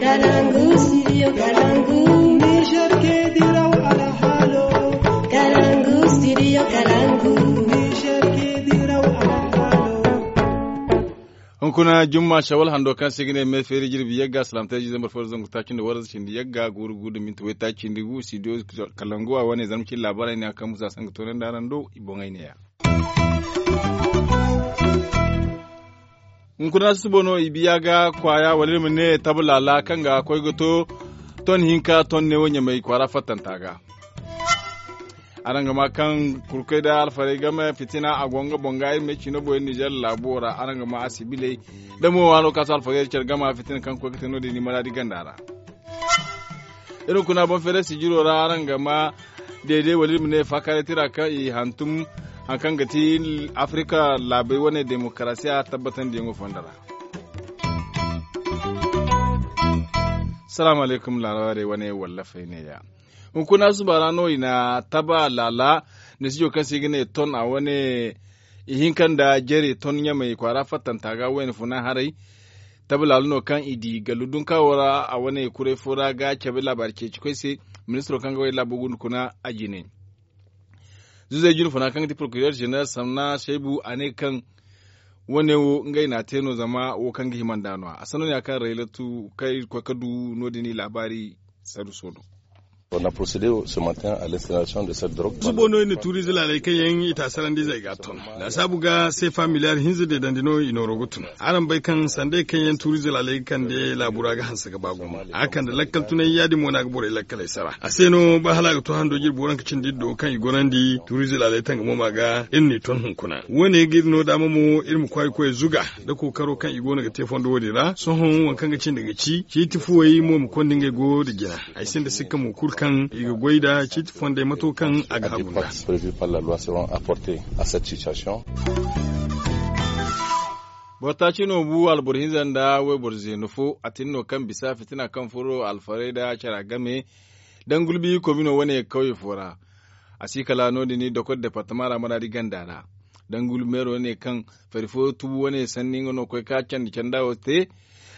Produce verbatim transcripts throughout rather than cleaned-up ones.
Kalangu, studio Kalangu. Niger ke diraw alhalo. Kalangu, studio Kalangu. Niger ke diraw alhalo. Hunkuna jumma shawal hando kaŋ se ga ne me feeri jirbi yagga salamtay jize marfo zangu taaci nda waranza cindi yagga guuru guuru da minti way taaci nda gu studio Kalangu a wane zarma cindi laabaray ne a kaŋ musa sanga toonandi araŋ do i boŋay ne ya. Hunkuna susubo no i biya ga kwaaya wala iri ma ne tabu laala kaŋ ga koy ga to ton hinka ton neewo ɲamay kwaara fattanta ga. Araŋ ga ma kaŋ kurkey da alfarey game fitina a go nga boŋ ga iri ma ay ciino boŋ iri nizer laabo ra araŋ ga ma a sibiley da mo waano ka to alfarey care game fitina kaŋ koy ga te no- din i maraadi ganda ra. Iri hunkuna boŋ feeray sijiro ra araŋ ga ma deede wala iri ma ne faakaaray tira kaŋ i hantum hari kaŋ ga ti afirika laabey wane demokarasiya tabbatandiyaŋo fondo ra. Salaamu alaykum laarawarey wane wallafey ne ya. Hunkuna suba ra no i na taba laala nisijo kaŋ se i ga ne ton a wane ihinka nda jare ton ɲamay kwaara fattanta ga wayna funa haray. Taba laala no kaŋ i di gallu dunkaawo ra a wane kuray fo ra ga cabe laabaari ceeci koy se. Ministiro kaŋ ga way laabo gunda kuna a jine zuzey jine funa kaŋ ga ti porokiriyar jeneral samna shaybu a ne kaŋ wane wo ngey n'a te no zama wo kaŋ ga hima nd'a no- ya a sanno ne ya kaŋ raylatu kaŋ iri ga koy ga du no- din i laabaari saruso no. Zubo no iri na tuuriize laaley kaŋ yaŋ i taasarandizey ga a ton laasaabu ga seefa miliyaar hinza deedandi no i nooro ga tun. Araŋ bay kaŋ sandey kaŋ yaŋ tuuriize laaley ga kande laabu ra ga hanse ga ba gumo a ga kande lakkal tunay ya- din mo no a ga borey lakkaley sara a se no ba hala a ga to hando jirbi waranka cindi iri do kaŋ i gorandi tuuriize laaley tangamo ma ga iri n'i ton hunkuna wo- ne ga iri no daama mo iri ma kwaay ga koy zuga nda kookaro kaŋ i go no ga te fondo wo- din ra sohõ waŋ kaŋ ga cindi ga ci ciiti fuwey mo ma konda ngey go nda jina. Ay sinda sikka mo kulu kaŋ i ga goy nda ciiti fondey mato kaŋ a ga hagu nd'a. Boro taaci no bu alboro hinza nda wayboro zeeno fo a tin no kaŋ bisa fitina kaŋ furo alfarey nda cara game dangulbi komino wane kawye fo ra. A si kala no- din dokor departama ra maraadi ganda ra dangulbi meero ne kaŋ fari fo tubu wane sanni nga no koy ka candi canda wo te.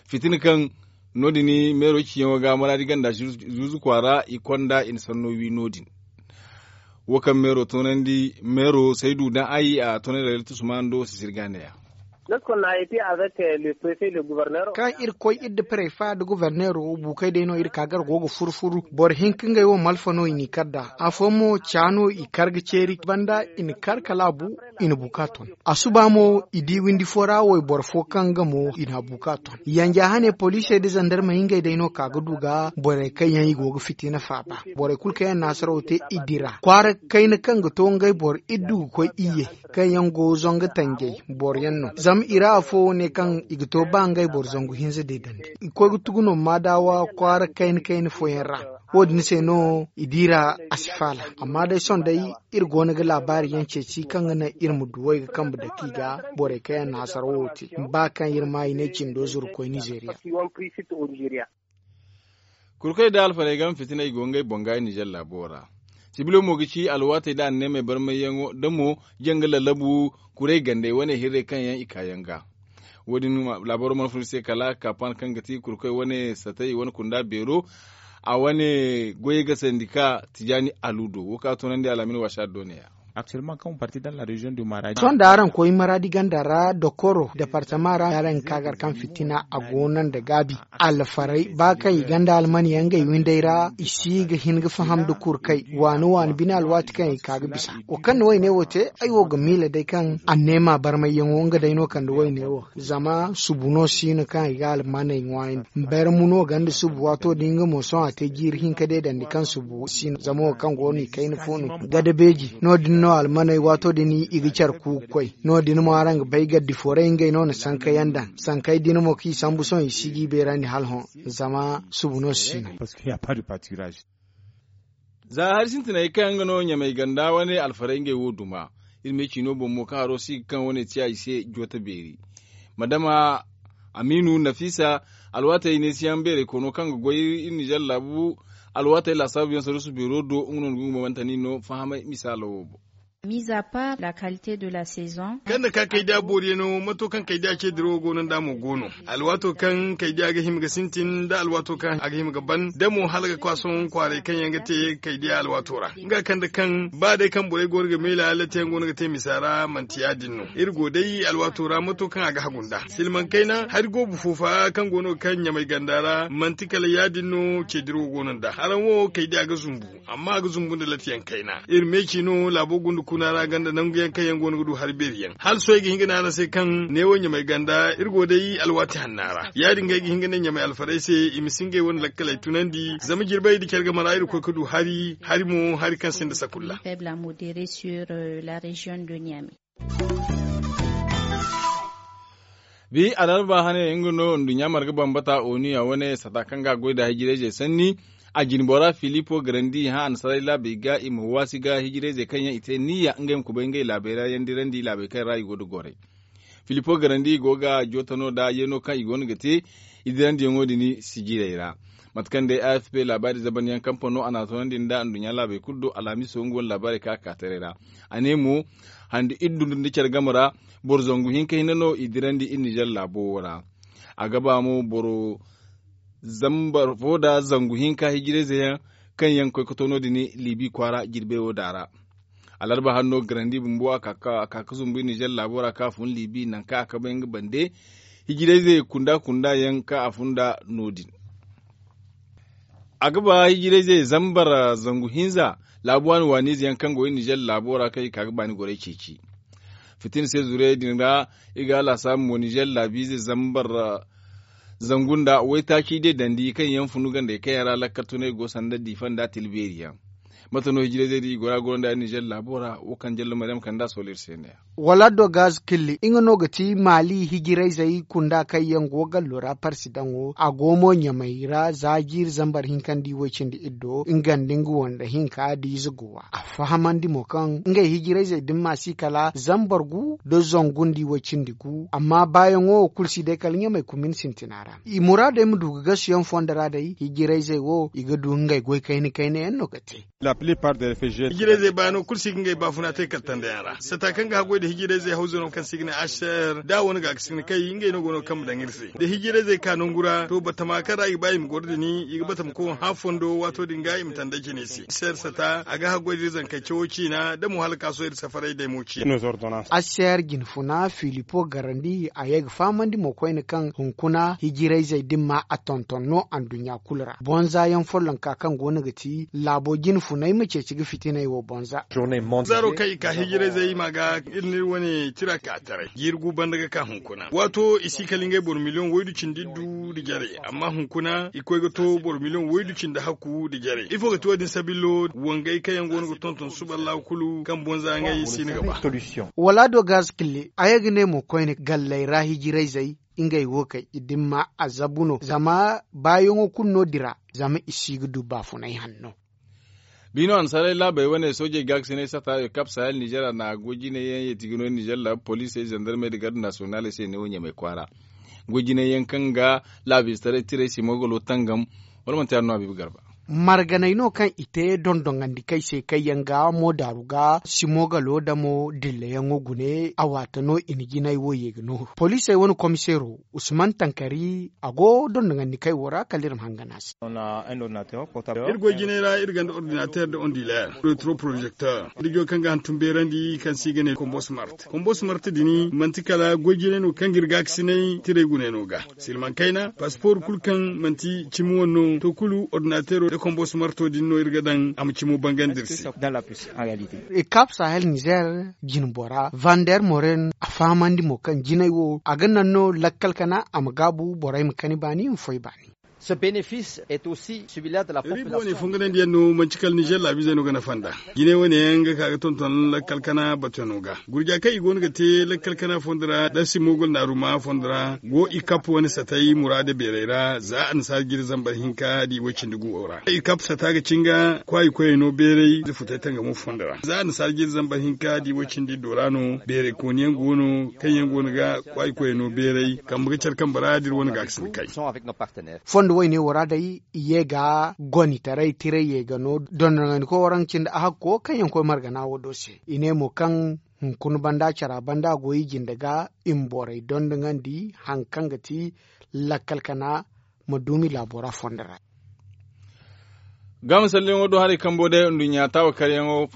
Fitina kaŋ no- din meero ciyaŋo ga maraadi ganda zuzu kwaara i konda i na sanno wi no- din. Wo kaŋ meero toonandi meero saydu daŋ ay a toonandi rayla tusuma ndo sisiri ga ne ya. Kaŋ iri koy iri nda prefa nda goborneero buukey day no iri ka gar go ga furu furu boro hinka ngey wo malfa no i n'i kar nd'a afooyaŋ mo ca no i kar ga ceeri banda i na kar kala a bu. I na bu ka ton a suba mo i di windi fo ra wayboro fo kaŋ nga mo i n'a bu ka ton yanja hane poliisey nda zandarmey ngey day no ka ga du ga borey kaŋ yaŋ i go ga fitina faaba. Borey kulu kaŋ yaŋ na hasaraw te i dira kwaara kayna kaŋ ga to ngey boro iddu ga koy iyye kaŋ yaŋ go zanga tanjay boro yaŋ no zama i ra afo ne kaŋ i ga to ba ngey boro zangu hinza deedandi i koy ga tugu no maadawa kwaara kayna kayna fooyaŋ ra. Wo- din se no i diira a si faala amma day sohõ day iri go no ga laabaari yaŋ ceeci kaŋ ga naŋ iri ma duwey ga kambe dake i ga borey kaŋ yaŋ na hasarawo te ba kaŋ iri ma i ne cindo zuru koy nizeeriya. Kurkey nda alfarey game fitiney go ngey boŋ ga i nizer laabo ra. Sibilo mo ga ci alwaatey nda anneemey barmayyaŋo da mo janga lallabu kuray gandey wane hirrey kaŋ yaŋ i kaayaŋ ga. Wo- din laabaro mana fun iri se kala kaapan kaŋ ga ti kurkey wane satey wane kunda beero a wane goyey ga sandi ka tijaani aludo wo kaŋ a toonandi alaamin waasa do ne ya. Sohõ da araŋ koy maraadi ganda ra dokoro departama ra araŋ ga ka gar kaŋ fitina a go no nda gaabi alfarey ba kaŋ i ganda almaniyaŋ ngey windey ra i si ga hin ga faham nda kurkay waani waani bine alwaati kaŋ i ka ga bisa. Wo kaŋ na woyne wo te ay wo ga miila day kaŋ anneema barmayyaŋo nga day no kande woyne wo zama subu no si no kaŋ i ga almaney ŋwaayandi. Barmu no ganda subu waato din nga mo sohõ a te jiiri hinka deedandi kaŋ subu si no zama wo kaŋ go no i kayna fo no gada beeji no- din no almaney waato din i ga care ku ga koy. No- din mo araŋ ga bay gaddi fooray ngey no na sankayaŋ daŋ sankey din mo kaŋ i sambu sohõ i si ga i beerandi hala hõ zama subu no si no. Za hari sintiney kaŋ nga no ɲamey ganda wane alfarey ngey wo duma. Iri me ciino boŋ mo kaŋ haro si ga kaŋ wane ti a i se joote beeri. Madama amiinu nafiisa alwaatey neesiyaŋ beerey koono kaŋ ga goy iri nizer laabu alwaatey laasaabu yaŋ saruusu beero do nga no na gungu bambantani no fahamay misaalo wo boŋ. Mise à part la qualité de la saison. Kaŋ na ka kaydiya booriyaŋo mato kaŋ kaydiya ce dirawo go no nda mo go no. Alwaato kaŋ kaydiya ga hima ga sintin nda alwaato kaŋ a ga hima ga ban da mo hala ga kwaasoŋ kwaaray kaŋ yaŋ ga te kaydiya alwaato ra nga kande kaŋ ba day kaŋ borey go no ga meela latiyaŋ go no ga te misa ra manti ya- din no. Iri go day alwaato ra mato kaŋ a ga hagu nda silmaŋ kayna hari goobu foofa kaŋ go no ga kaŋ ɲamay ganda ra manti kala ya- din no ce dirawo go no nda haraŋ wo kaydiya ga zumbu. Amma a ga zumbu nda latiyaŋ kayna iri meeci no laabo gunda kuna ra ganda nangu yaŋ kaŋ yaŋ go no ga du hari beeri yaŋ hala sohõ ay ga hin ga ne araŋ se kaŋ neewo ɲamay ganda iri go day alwaati hanna ra ya- din ga ay ga hin ga ne ɲamay alfarey se i ma si ngey wane lakkaley tunandi zama jirbey nda care game ra iri koy ga du hari hari mo hari kaŋ sinda sakulla. Bi alarba hane nga no nduɲɲa marga bambata onu ya wane sata kaŋ ga a goy nda hijirayzey sanni. A jinbora filipo garandi hã annasaray laabey ga i ma waasi ga hijirayzey kaŋ yaŋ i te niyya ngey ma kubay ngey laabey ra yaŋ dirandi laabey kaŋ ra i go nda goray. Filipo garandi i go ga jooto no nda yeeno kaŋ i go no ga te i dirandiyaŋo din sijirey ra. Mate kaŋ day afp laabaari zabanyaŋ kampano a n'a toonandi nda nduɲɲa laabey kulu do alhamiso nga wane laabaarey kaŋ a ka taray ra. A ne mo handi iddu nda care game ra boro zangu hinka hinne no i dirandi iri nizer laabo wo ra. A ga ba mo boro zambar fo nda zangu hinka hijirayze yaŋ kaŋ yaŋ ga koy ga to no- din libi kwaara jirbey wo da ra. Alarba hanno garandi bumbo a ka ga zumbu iri nizer laabo ra kaŋ a fun libi nangu kaŋ a kabay nga bande hijirayze kunda kunda yaŋ kaŋ a fun nda no- din. A ga ba hijirayze zambar zangu hinza laabu waani waaniize yaŋ kaŋ go iri nizer laabo ra kaŋ i ka ga baani gorey ceeci. Fitina se zurey din ra i ga a laasaabu mo nizer laabiize zambar zangu nda waytaaci day dandi kaŋ yaŋ funu gandey kaŋ yaŋ ra lakkal tunay go sanda diifa nda tilbeeri yaŋ. Mate no hijirayzey din i go ra goro nda nizer laabo ra wo kaŋ jallo maryam kande a sohõ iri se ne ya. Wala do gaz killi nga no ga ti maali hijirayzey kunda kaŋ yaŋ go gallo ra parsidaŋo a go mo ɲamay ra za jiiri zambar hinka nda i way cindi iddo nga nda nga wanda hinka da ize go a fahamandi mo kaŋ ngey hijirayzey din ma si kala zambar gu nda zangu nda i way cindi gu amma baayaŋo kulu si day kala ɲamay kumin sintina ra i muraadey ma du ga gasuyaŋ fondo ra day hijirayzey wo i ga du ngey goy kayna kayna yaŋ no ga te. Hijirayzey baano kulu si ga ngey baafuna te kaltandayaŋ ra sata kaŋ ga haggoy nda hijirayzey hawzano kaŋ se i ga ne aser da a wane ga ga si ga ne kay ngey no go no ga kambe daŋ iri se da hijirayzey ka nangu ra to batama kaŋ ra i ga ba i ma goro din i ga batama koŋ hã fondo waato din ga i ma tanda jine se aser sata a ga haggoy nda iri zankey cawo ciina da mo hala ka sohõ iri safaray day mo ciina. Aser jinfuna filipo garandi a ye ga fahamandi mo koyne kaŋ hunkuna hijirayzey din ma a tonton no anduɲɲa kulu ra bonza yaŋ follonka kaŋ go no ga ti laabo jinfunay ma ceeci ga fitinay wo bonza. Zaaro kaŋ i ka hijirayzey i ma ga iri n'iri wane tira ka taray jiiri gu banda ga ka hunkuna waato i si kala ngey boro miliyoŋ waydu cindi iddu nda jare amma hunkuna i koy ga to boro miliyoŋ waydu cindi hakku nda jare ifo ga ti wo- din sabillo wangey kaŋ yaŋ go no ga tonton suba allahu kulu kaŋ bonza ngey si no ga ba. Wala do gaz kille a ye ga ne mo koyne galley ra hijirayzey ngey wo kaŋ i dimma a zabu no zama baayaŋo kulu no dira zama i si ga du baafunay hanno. Biino annasaarey laabey wane soojey gaakasinay sata ekap sahel nizer a na goy jinay yaŋ yeeti ga no nizer laabu poliisey zandarmey nda garde nasiyonaaley se neewo ɲamay kwaara. Goy jinay yaŋ kaŋ ga laabu ize taray tirey simogolo tangam wala manti yaadin no habiibu garba. Marganey no kaŋ i te dondoŋandi kay se kaŋ yaŋ ga mo daaru ga simogalo damo dilleyaŋo gune a waata no i na jinay wo ye ga no poliisey wane komiseero usman tankari a go dondoŋandi kay wo ra kala iri ma hangan a se. Iri goy jinay ra iri gonda ordinateer nda ondileer retro projekteer nda joy kaŋ ga hantum beerandi kaŋ se i ga ne kombos mart kombos mart din manti kala goy jinay no kaŋ ga iri gaakasinay tirey gune no ga silmaŋ kayna paspor kulu kaŋ manti cimi wane no to kulu ordinateero nda kombos marto din no iri ga daŋ a ma cimo bangandi iri se. Ekap sahel nizer jinbora vander moren a fahamandi mo kaŋ jinay wo a ga naŋ no lakkal kana a ma gaabu borey ma kani baani i ma foy baani. Riibo wane fonganandiyaŋ no manti kala nizer laabiizey no ga nafa nd'a. Jinay wane yaŋ ga ka ga tonton lakkal kana batano ga gurja kaŋ i go no ga te lakkal kana fondo ra da simogol naaruma fondo ra go i kap wane satay muraada beerey ra za annasaara jiri zambar hinka da i way cindi gu wo ra i kap sata ga cinga kwaayi koyey no beerey da futay tangamo fondo ra za annasaara jiri zambar hinka da i way cindi iddo ra no beerey kooniyaŋ go no kaŋ yaŋ go no ga kwaayi koyey no beerey kambe ga care kambe ra da iri wane ga ga sinda kay. Fondo Wo- ne wo ra day i ye ga gonitaray tiray ye ga no dondonandi koy waraŋ cindi a hakko kaŋ yaŋ koy margana wo do se. I ne mo kaŋ hunkuna banda cara banda go i jinde ga i ma borey dondonandi haŋ kaŋ ga ti lakkal kana ma duumi laabo ra fondo ra. Ga misalliyaŋo do haray kambo day nduɲɲa taawa karyaŋo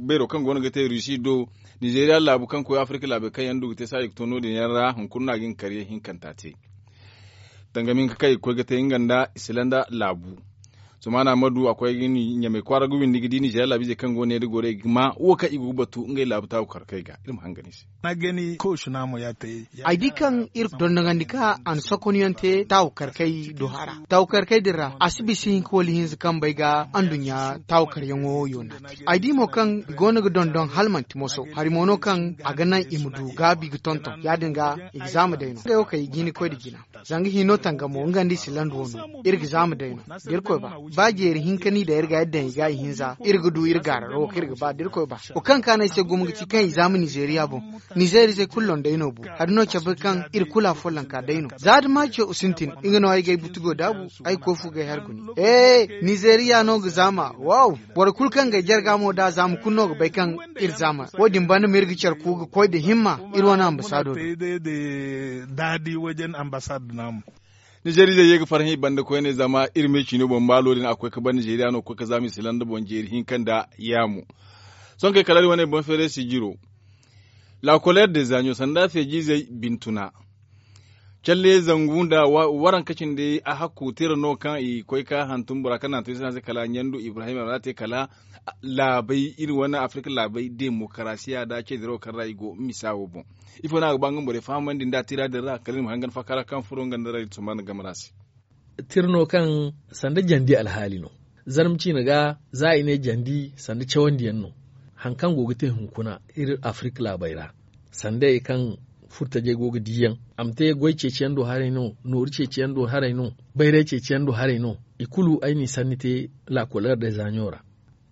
beero kaŋ go no ga te rusi do, nizeriya laabu kaŋ koy afirka laabey kaŋ yaŋ du ga te saaji ga to no- din yaŋ ra hunkuna no a ga hin ga karyaŋ hinkanta te. Danga ma hin ga kay ga koy ga te nga nda islanda laabu. Sumana madu a koy ga ni ɲamay kwaara ga windi ga di nizeeriya laabiizey kaŋ go ne da gorey ga ma wo kaŋ i go ga batu ngey laabu taabu karkey ga iri ma hangan i se. Ay di kaŋ iri dondonandi ka a na sokonyaŋ te taabu karkey do hara taabu karkey din ra a si bisa hinka wala hinza kaŋ bay ga anduɲɲa taabu karyaŋo yoona. Ay di mo kaŋ i go no ga dondon hala manti moso hari mo no kaŋ a ga naŋ i ma du gaabi ga tonton ya- din ga i ga zaama day no ngey wo kaŋ i ga hin ga koy nda jina. Zanga hino tanga mo nga nda i si landa wano iri ga zaama day no. Da iri koy ba ba jeeri hinka ni daŋ iri ga yadda i ga i hinza iri ga du iri gaararo wo kaŋ iri ga ba da iri koy ba. Wo kaŋ kaanay se gumo ga ci kaŋ i zaama nizeeriya boŋ. Nizeeriya se kulu londay no bu hari no cabe kaŋ iri kulu a follonka day no za da maaco sintin nga no ay ga ay butugo daabu. Ay ga koy fu ga ay har guni. Ee, nizeeriya no ga zaama. Wow. Boro kulu kaŋ ga ay jarga mo da a zaama kulu no ga bay kaŋ iri zaama wo- din banda ma iri ga care ku ga koy nda himma iri wane ambasaado do. Nizeeriizey ye ga farhã i banda koyne zama iri me ciino boŋ maalo din a koy ga ban nizeeriya no ga koy ga zaama i silanda boŋ jeeri hinka nda yaamo. Sohõ kay kala iri wane boŋ feere sijiro. La koleer de zaaɲo sanda feejiizey bintuna. Calle zangu nda waranka cindi a hakku tira no kaŋ i koy ga hantum bora kaŋ na hantum i se no a se kala ɲandu ibrahim a mana te kala laabey iri wane afirka laabey demokarasiya nda cediro kaŋ ra i go misa wo boŋ. Ifo no a ga ba nga borey fahamandi nda tira din ra kala iri ma hangan faaka ra kaŋ furo nga nda ra iri tumba nda game ra se. Tira no kaŋ sanda jandi alhaali no. Zarma ciina ga za i ne jandi sanda cawandiyaŋ no. Hari kaŋ go ga te hunkuna iri afirka laabey ra sandey kaŋ furtajey go ga diiyaŋ a ma te goy ceeciyaŋ do haray no nooru ceeciyaŋ do haray no bayray ceeciyaŋ do haray no. I kulu ay n'i sanni te la koleer de zaaɲo ra.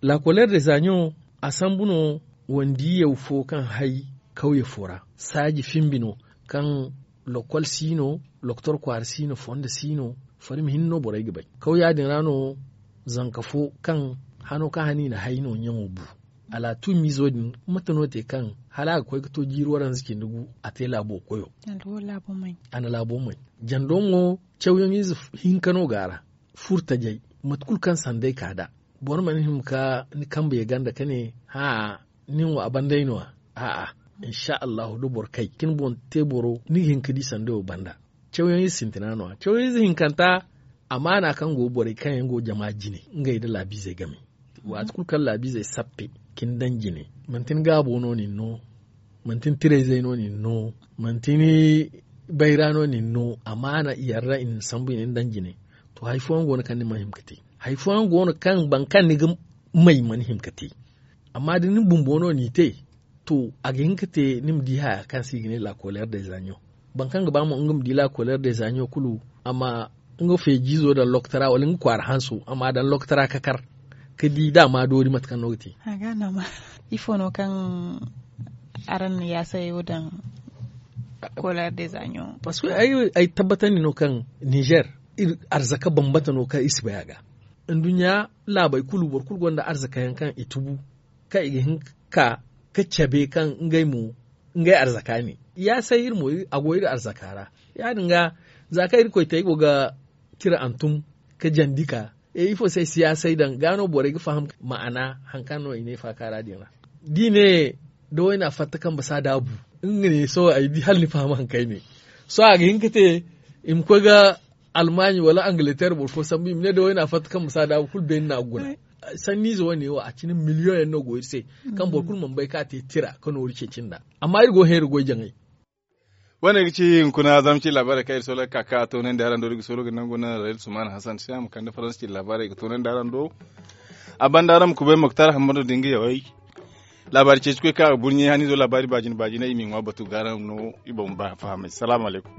La koleer de zaaɲo a sambu no wandiyyaw fo kaŋ hay kawye fo ra saaji fimbi no kaŋ lokol si no loktor kwaara si no fondo si no. Farmi hinne no borey ga bay kawya din ra no zanka fo kaŋ hano kaŋ hano i na hay no ɲaŋo bu. Alaatumiizo din mate no te kaŋ hala a ga koy ga to jiiri waranza cindi gu a te laabo koyo. A na laabo may jando mo cawyaŋize hinka no go a ra. Furtajey mate kulu kaŋ sanday ka nd'a boro mana hima ka ni kambe ye ganda ka ne hãa nin wo a banday no- ya. A'a, insa allahu da boro kay ka ni boŋ te boro ni ga hin ka di sanday wo banda. Cawyaŋize sintina no- ya cawyaŋize hinkanta. Amaana kaŋ go borey kaŋ yaŋ go jama jine ngey nda laabiizey game. Waati kulu kaŋ laabiizey sappe ka ni daŋ jine manti ni gaabo no nin no. Manti ni tirayzey no nin no. Manti ni bayra no nin no. Amaana i yarra i na ni sambu i na ni daŋ jine. To hari fooyaŋ go no kaŋ ni mana hima ka te hari fooyaŋ go no kaŋ boro kaŋ ni ga may mana hima ka te. Amma da ni bumbo no n'i te to a ga hin ka te ni ma di haya kaŋ se i ga ne la koleer de zaaɲo. Boro kaŋ ga ba mo nga ma di la koleer de zaaɲo kulu a ma nga feejiizo daŋ lokotara wala nga kwaara hanso a m'a daŋ lokotara ka kar ka di da a ma doori mate kaŋ no ga te. Ifo no kaŋ araŋ na yaasayey wo daŋ koleer de zaaɲo? Parceque ay tabbatandi no kaŋ nizer iri arzaka bambata no kaŋ iri si bay a ga. Nduɲɲa laabey kulu boro kulu gonda arzakayaŋ kaŋ i tubu kaŋ i ga hin ka ka cabe kaŋ ngey mo ngey arzaka ne. Ya say iri mo a go iri arzaka ra. Ya- din ga za kaŋ iri koy te ay go ga tira hantum ka jandi ka ifo se ay si ya say daŋ ga no borey ga faham ma'ana hari kaŋ no i ne faaka ra din ra. Da i ne da wayna fatta kambe si a daabu nga ne sohõ ay di hala ni faham hari kaŋ ay ne. Sohõ a ga hin ka te i ma koy ga almaaɲi wala angleter boro fo sambu i ma ne da wayna fatta kambe si a daabu kulu beene no a ga guna. Sanniize wane wo a cine miliyoŋ yaŋ no go iri se kaŋ boro kulu mana bay kaŋ a te tira ka nooru ceeci nd'a. Amma iri go ga heeri goy jaŋay. Wane ga ci hunkuna zama ci laabaarey kaŋ iri soolay ga ka ka toonandi araŋ do iri ga soolo ga nangu naŋ rayil sumaana hasan se a ma kande faransa ci laabaarey ga toonandi araŋ do. A banda araŋ ma kubay moktar hammadu da nga yawey. Laabaari ceeci koy kaŋ a ga burɲey haniizo laabaari baajina baajina i m'i ŋwa batu ga araŋ no i boŋ ba fahamay salaamu alaykum.